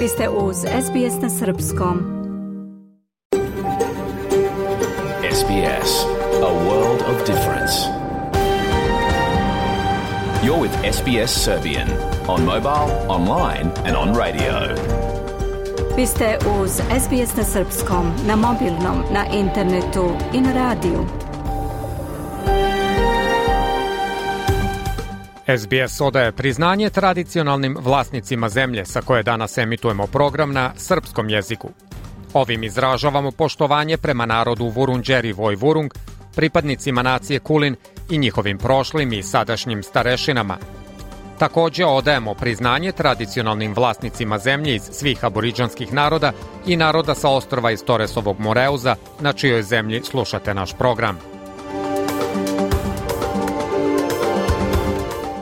Vi ste uz SBS na Srpskom. SBS, a world of difference. You're with SBS Serbian on mobile, online and on radio. Vi ste uz SBS na Srpskom, na mobilnom, na internetu i na radiju. SBS odaje priznanje tradicionalnim vlasnicima zemlje sa koje danas emitujemo program na srpskom jeziku. Ovim izražavamo poštovanje prema narodu Vurundjeri Vojvurung, pripadnicima nacije Kulin i njihovim prošlim i sadašnjim starešinama. Također odajemo priznanje tradicionalnim vlasnicima zemlje iz svih aboriđanskih naroda i naroda sa ostrva iz Toresovog Moreuza, na čijoj zemlji slušate naš program.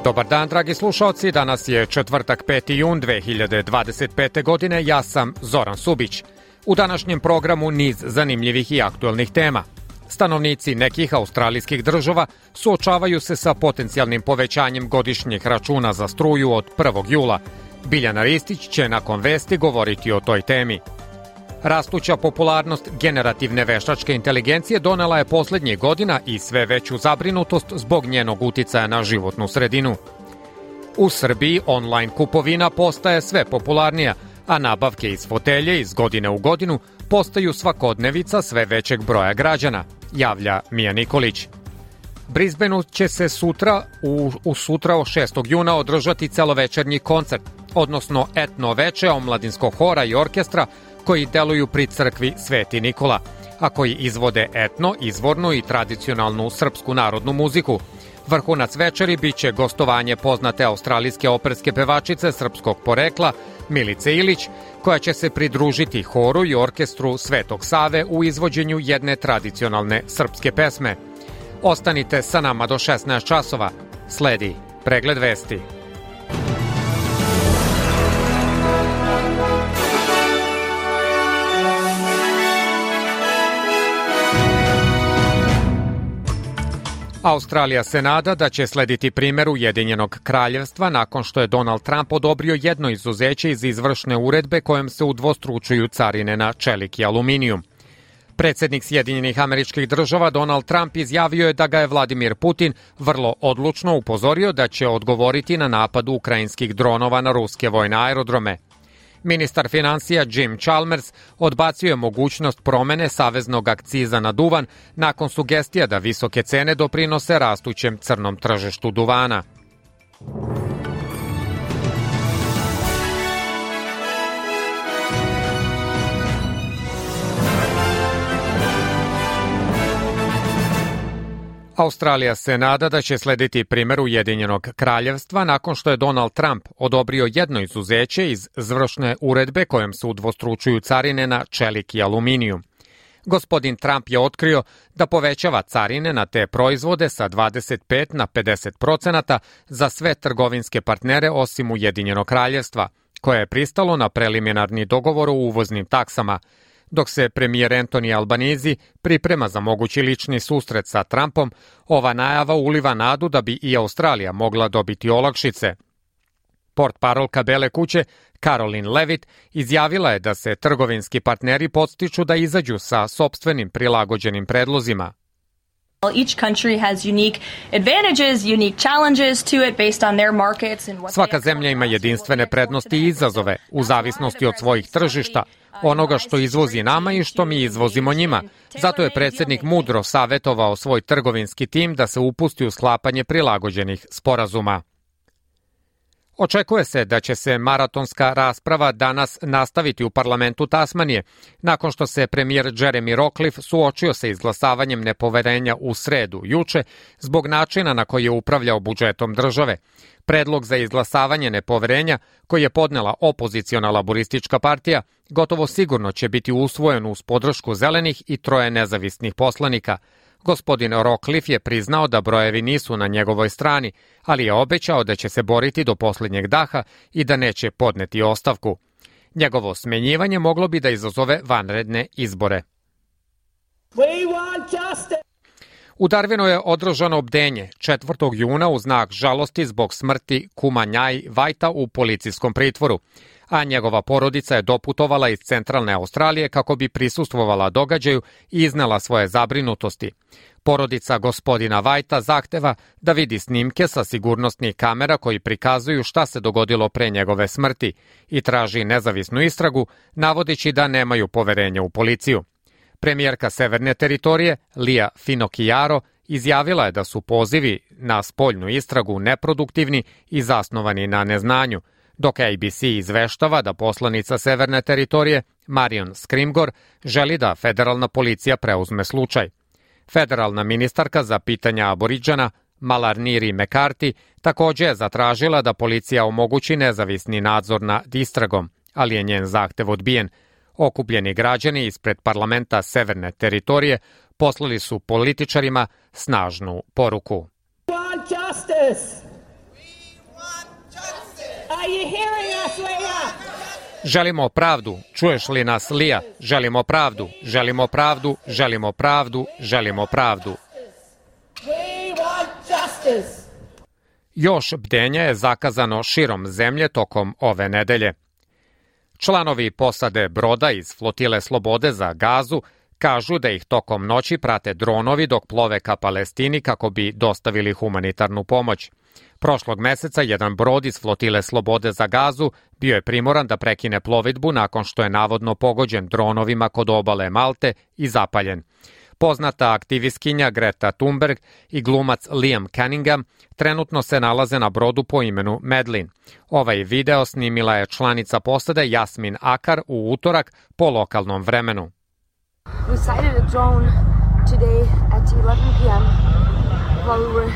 Dobar dan, dragi slušalci, danas je četvrtak 5. jun 2025. godine, ja sam Zoran Subić. U današnjem programu niz zanimljivih i aktuelnih tema. Stanovnici nekih australijskih država suočavaju se sa potencijalnim povećanjem godišnjih računa za struju od 1. jula. Biljana Ristić će nakon vesti govoriti o toj temi. Rastuća popularnost generativne veštačke inteligencije donela je posljednjih godina i sve veću zabrinutost zbog njenog uticaja na životnu sredinu. U Srbiji online kupovina postaje sve popularnija, a nabavke iz fotelje iz godine u godinu postaju svakodnevica sve većeg broja građana, javlja Mija Nikolić. Brisbaneu će se sutra od 6. juna održati celovečernji koncert, odnosno etno veče omladinskog hora i orkestra koji deluju pri crkvi Sveti Nikola, a koji izvode etno, izvornu i tradicionalnu srpsku narodnu muziku. Vrhunac večeri biće gostovanje poznate australijske operske pevačice srpskog porekla Milice Ilić, koja će se pridružiti horu i orkestru Svetog Save u izvođenju jedne tradicionalne srpske pesme. Ostanite sa nama do 16 časova. Sledi pregled vesti. Australija se nada da će slediti primjer Ujedinjenog kraljevstva nakon što je Donald Trump odobrio jedno izuzeće iz izvršne uredbe kojom se udvostručuju carine na čelik i aluminijum. Predsjednik Sjedinjenih Američkih Država Donald Trump izjavio je da ga je Vladimir Putin vrlo odlučno upozorio da će odgovoriti na napad ukrajinskih dronova na ruske vojne aerodrome. Ministar financija Jim Chalmers odbacio je mogućnost promene saveznog akciza na duvan nakon sugestija da visoke cene doprinose rastućem crnom tržištu duvana. Australija se nada da će slediti primjer Ujedinjenog kraljevstva nakon što je Donald Trump odobrio jedno izuzeće iz izvršne uredbe kojom se udvostručuju carine na čelik i aluminijum. Gospodin Trump je otkrio da povećava carine na te proizvode sa 25 na 50% za sve trgovinske partnere osim Ujedinjenog kraljevstva, koje je pristalo na preliminarni dogovor o uvoznim taksama, dok se premijer Anthony Albanese priprema za mogući lični susret sa Trumpom. Ova najava uliva nadu da bi i Australija mogla dobiti olakšice. Portparolka Bele kuće Caroline Levitt izjavila je da se trgovinski partneri podstiču da izađu sa sopstvenim prilagođenim predlozima. Each country has unique advantages, unique challenges to it based on their markets and what. Svaka zemlja ima jedinstvene prednosti i izazove u zavisnosti od svojih tržišta, onoga što izvozi nama i što mi izvozimo njima. Zato je predsjednik mudro savjetovao svoj trgovinski tim da se upusti u sklapanje prilagođenih sporazuma. Očekuje se da će se maratonska rasprava danas nastaviti u parlamentu Tasmanije, nakon što se premijer Jeremy Rockliff suočio sa izglasavanjem nepoverenja u sredu juče zbog načina na koji je upravljao budžetom države. Predlog za izglasavanje nepoverenja, koji je podnela opoziciona laboristička partija, gotovo sigurno će biti usvojen uz podršku zelenih i 3 nezavisnih poslanika. Gospodin Rockliff je priznao da brojevi nisu na njegovoj strani, ali je obećao da će se boriti do posljednjeg daha i da neće podneti ostavku. Njegovo smenjivanje moglo bi da izazove vanredne izbore. U Darwinu je održano bdenje 4. juna u znak žalosti zbog smrti kuma Njaj Vajta u policijskom pritvoru. a njegova porodica je doputovala iz centralne Australije kako bi prisustvovala događaju i iznela svoje zabrinutosti. Porodica gospodina Whitea zahteva da vidi snimke sa sigurnosnih kamera koji prikazuju šta se dogodilo pre njegove smrti i traži nezavisnu istragu, navodeći da nemaju poverenja u policiju. Premijerka Severne teritorije, Leah Finocchiaro, izjavila je da su pozivi na spoljnu istragu neproduktivni i zasnovani na neznanju, dok ABC izveštava da poslanica Severne teritorije, Marion Scrimgeour, želi da federalna policija preuzme slučaj. Federalna ministarka za pitanja aboriđana, Malarniri McCarthy, takođe je zatražila da policija omogući nezavisni nadzor nad istragom, ali je njen zahtev odbijen. Okupljeni građani ispred parlamenta Severne teritorije poslali su političarima snažnu poruku. Želimo pravdu, čuješ li nas, Leah? Želimo pravdu, želimo pravdu, želimo pravdu, želimo pravdu. Još bdenja je zakazano širom zemlje tokom ove nedelje. Članovi posade broda iz flotile Slobode za Gazu kažu da ih tokom noći prate dronovi dok plove ka Palestini kako bi dostavili humanitarnu pomoć. Prošlog meseca jedan brod iz flotile Slobode za Gazu bio je primoran da prekine plovidbu nakon što je navodno pogođen dronovima kod obale Malte i zapaljen. Poznata aktivistkinja Greta Thunberg i glumac Liam Cunningham trenutno se nalaze na brodu po imenu Medlin. Ovaj video snimila je članica posade Jasmin Akar u utorak po lokalnom vremenu. We sighted a drone today at 11 p.m. while we were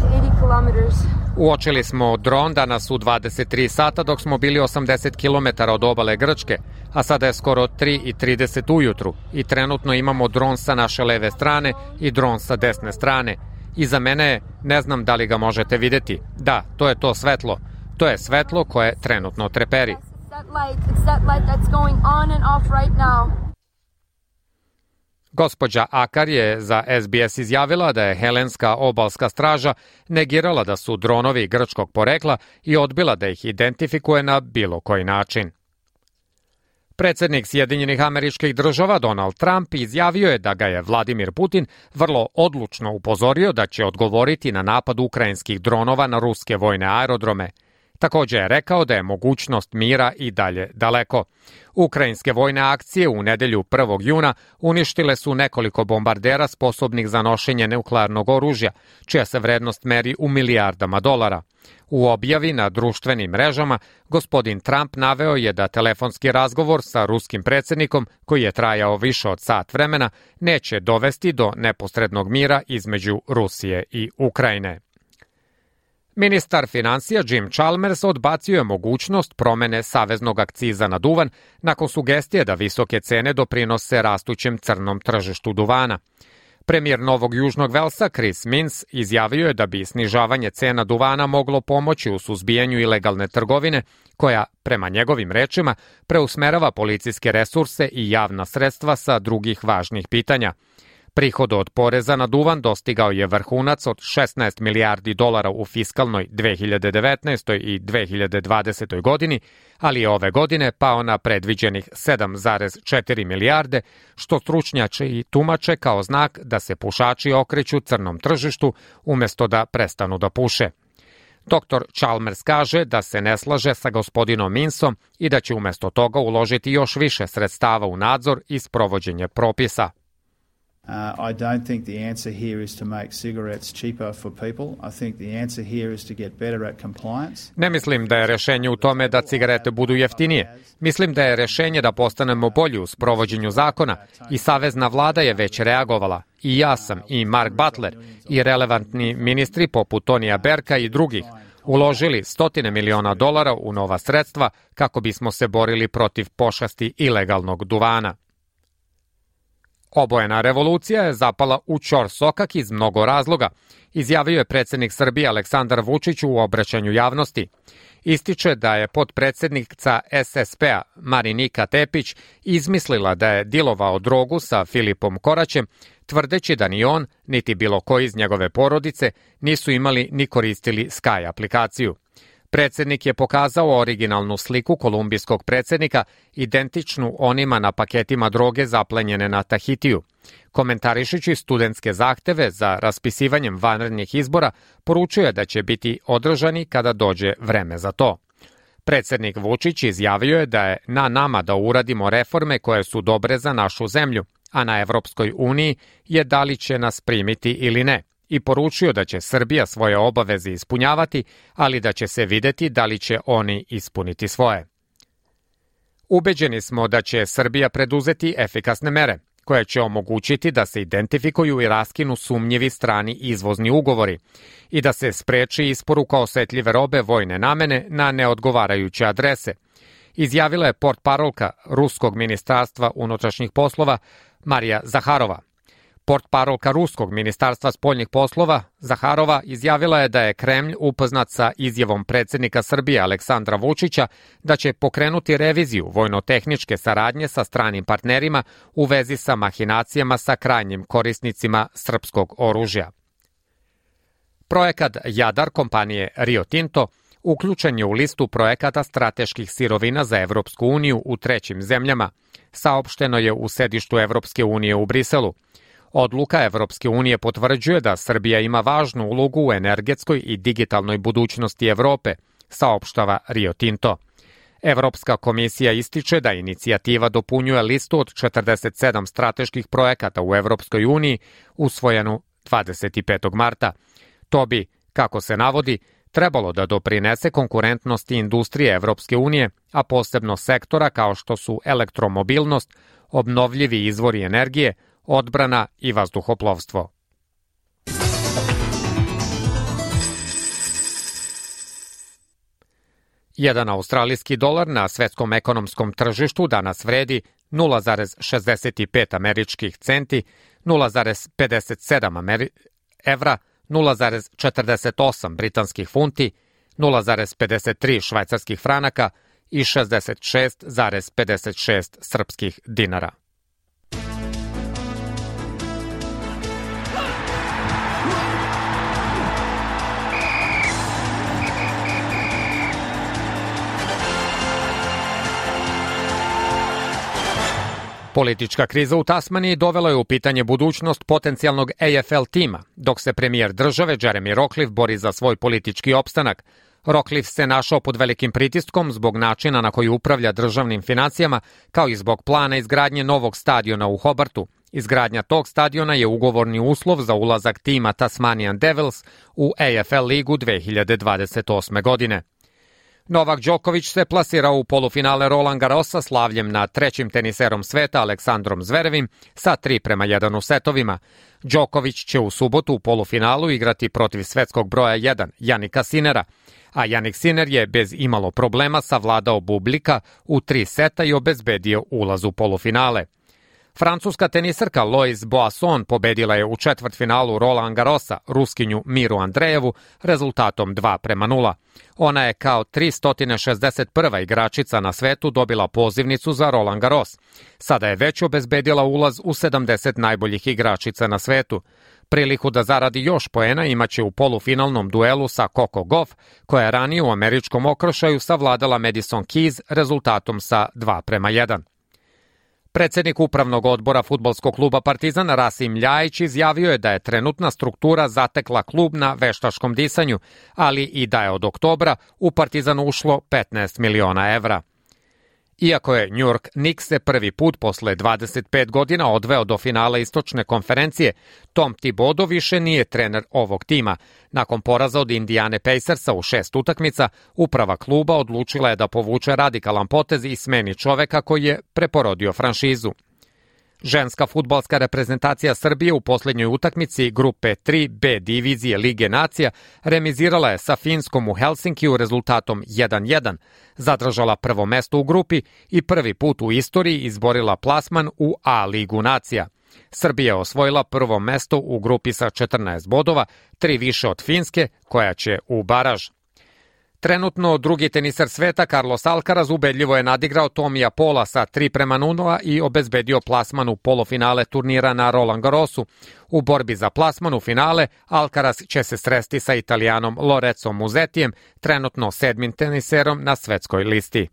80 kilometers. Uočili smo dron danas u 23 sata dok smo bili 80 km od obale Grčke, a sada je skoro 3:30 ujutru i trenutno imamo dron sa naše leve strane i dron sa desne strane. Iza mene je, ne znam da li ga možete videti. Da, to je to svetlo. To je svetlo koje trenutno treperi. Gospođa Akar je za SBS izjavila da je Helenska obalska straža negirala da su dronovi grčkog porekla i odbila da ih identifikuje na bilo koji način. Predsednik Sjedinjenih Američkih Država Donald Trump izjavio je da ga je Vladimir Putin vrlo odlučno upozorio da će odgovoriti na napad ukrajinskih dronova na ruske vojne aerodrome. Takođe je rekao da je mogućnost mira i dalje daleko. Ukrajinske vojne akcije u nedelju 1. juna uništile su nekoliko bombardera sposobnih za nošenje nuklearnog oružja, čija se vrednost meri u milijardama dolara. U objavi na društvenim mrežama gospodin Trump naveo je da telefonski razgovor sa ruskim predsednikom, koji je trajao više od sat vremena, neće dovesti do neposrednog mira između Rusije i Ukrajine. Ministar finansija Jim Chalmers odbacio je mogućnost promene saveznog akciza na duvan nakon sugestije da visoke cene doprinose rastućem crnom tržištu duvana. Premijer Novog Južnog Velsa Chris Minns izjavio je da bi snižavanje cena duvana moglo pomoći u suzbijanju ilegalne trgovine, koja, prema njegovim rečima, preusmerava policijske resurse i javna sredstva sa drugih važnih pitanja. Prihod od poreza na duvan dostigao je vrhunac od 16 milijardi dolara u fiskalnoj 2019. i 2020. godini, ali je ove godine pao na predviđenih 7,4 milijarde, što stručnjaci i tumače kao znak da se pušači okreću crnom tržištu umesto da prestanu da puše. Dr. Chalmers kaže da se ne slaže sa gospodinom Minnsom i da će umesto toga uložiti još više sredstava u nadzor i sprovođenje propisa. I don't think the answer here is to make cigarettes cheaper for people. I think the answer here is to get better at compliance. Ne mislim da je rešenje u tome da cigarete budu jeftinije. Mislim da je rešenje da postanemo bolji u sprovođenju zakona i savezna vlada je već reagovala. I ja sam, i Mark Butler, i relevantni ministri poput Tonija Berka i drugih uložili $100 miliona u nova sredstva kako bismo se borili protiv pošasti ilegalnog duvana. Obojena revolucija je zapala u ćorsokak iz mnogo razloga, izjavio je predsednik Srbije Aleksandar Vučić u obraćanju javnosti. Ističe da je potpredsednica SSP-a Marinika Tepić izmislila da je dilovao drogu sa Filipom Koraćem, tvrdeći da ni on, niti bilo ko iz njegove porodice nisu imali ni koristili Sky aplikaciju. Predsjednik je pokazao originalnu sliku kolumbijskog predsjednika, identičnu onima na paketima droge zaplenjene na Tahitiju. Komentarišući studentske zahteve za raspisivanjem vanrednih izbora, poručio je da će biti održani kada dođe vreme za to. Predsjednik Vučić izjavio je da je na nama da uradimo reforme koje su dobre za našu zemlju, a na Evropskoj uniji je da li će nas primiti ili ne, i poručio da će Srbija svoje obaveze ispunjavati, ali da će se videti da li će oni ispuniti svoje. Ubeđeni smo da će Srbija preduzeti efikasne mere, koje će omogućiti da se identifikuju i raskinu sumnjivi strani izvozni ugovori i da se spreči isporuka osetljive robe vojne namene na neodgovarajuće adrese, izjavila je portparolka Ruskog ministarstva unutrašnjih poslova Marija Zaharova. Portparolka Ruskog ministarstva spoljnih poslova Zaharova izjavila je da je Kremlj upoznat sa izjavom predsjednika Srbije Aleksandra Vučića da će pokrenuti reviziju vojno-tehničke saradnje sa stranim partnerima u vezi sa mahinacijama sa krajnjim korisnicima srpskog oružja. Projekat Jadar kompanije Rio Tinto uključen je u listu projekata strateških sirovina za Evropsku uniju u trećim zemljama, saopšteno je u sedištu Evropske unije u Briselu. Odluka Evropske unije potvrđuje da Srbija ima važnu ulogu u energetskoj i digitalnoj budućnosti Evrope, saopštava Rio Tinto. Evropska komisija ističe da inicijativa dopunjuje listu od 47 strateških projekata u Evropskoj uniji, usvojenu 25. marta. To bi, kako se navodi, trebalo da doprinese konkurentnosti industrije Evropske unije, a posebno sektora kao što su elektromobilnost, obnovljivi izvori energije, odbrana i vazduhoplovstvo. Jedan australijski dolar na svetskom ekonomskom tržištu danas vredi 0,65 američkih centi, 0,57 evra, 0,48 britanskih funti, 0,53 švajcarskih franaka i 66,56 srpskih dinara. Politička kriza u Tasmaniji dovela je u pitanje budućnost potencijalnog AFL tima, dok se premijer države Jeremy Rockliff bori za svoj politički opstanak. Rockliff se našao pod velikim pritiskom zbog načina na koji upravlja državnim financijama, kao i zbog plana izgradnje novog stadiona u Hobartu. Izgradnja tog stadiona je ugovorni uslov za ulazak tima Tasmanian Devils u AFL ligu 2028. godine. Novak Đoković se plasirao u polufinale Roland Garrosa slavljem nad trećim teniserom sveta Aleksandrom Zverevim sa 3:1 u setovima. Đoković će u subotu u polufinalu igrati protiv svetskog broja 1 Janika Sinera, a Janik Sinner je bez imalo problema savladao Bublika u 3 seta i obezbedio ulaz u polufinale. Francuska teniserka Lois Boisson pobedila je u četvrtfinalu Roland Garrosa Ruskinju Miru Andrejevu rezultatom 2:0. Ona je kao 361. igračica na svetu dobila pozivnicu za Roland Garros. Sada je već obezbedila ulaz u 70 najboljih igračica na svetu. Priliku da zaradi još poena imaće u polufinalnom duelu sa Coco Gauff, koja je ranije u američkom okršaju savladala Madison Keys rezultatom sa 2:1. Predsjednik upravnog odbora fudbalskog kluba Partizan Rasim Ljajić izjavio je da je trenutna struktura zatekla klub na veštačkom disanju, ali i da je od oktobra u Partizan ušlo 15 miliona evra. Iako je New York Knicks se prvi put posle 25 godina odveo do finala istočne konferencije, Tom Thibodeau više nije trener ovog tima. Nakon poraza od Indiane Pacersa u 6 utakmica, uprava kluba odlučila je da povuče radikalan potez i smeni čoveka koji je preporodio franšizu. Ženska fudbalska reprezentacija Srbije u posljednjoj utakmici grupe 3B divizije Lige nacija remizirala je sa Finskom u Helsinkiju rezultatom 1:1, zadržala prvo mesto u grupi i prvi put u istoriji izborila plasman u A ligu nacija. Srbija je osvojila prvo mesto u grupi sa 14 bodova, 3 više od Finske, koja će u baraž. Trenutno drugi teniser sveta Carlos Alcaraz ubedljivo je nadigrao Tomija Paula sa 3:0 i obezbedio plasman u polufinale turnira na Roland Garrosu. U borbi za plasman u finale Alcaraz će se sresti sa Italijanom Lorenzom Musettijem, trenutno 7. teniserom na svetskoj listi.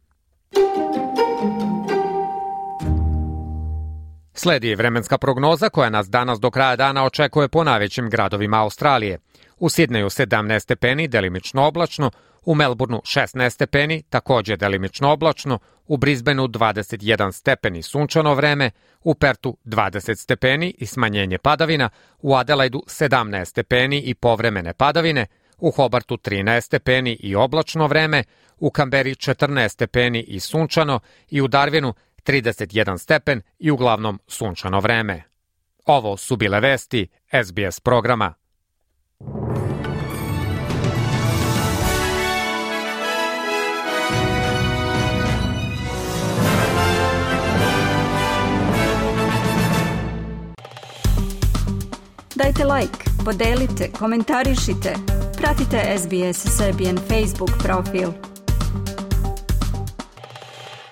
Sledi vremenska prognoza koja nas danas do kraja dana očekuje po najvećim gradovima Australije. U Sidneju 17 stepeni, delimično oblačno, u Melbourneu 16 stepeni, takođe delimično oblačno, u Brisbaneu 21 stepeni sunčano vreme, u Pertu 20 stepeni i smanjenje padavina, u Adelaidu 17 stepeni i povremene padavine, u Hobartu 13 stepeni i oblačno vreme, u Kamberi 14 stepeni i sunčano i u Darwinu 31 stepen i uglavnom sunčano vreme. Ovo su bile vesti SBS programa. Dajte like, podelite, komentarišite, pratite SBS Serbian Facebook profil.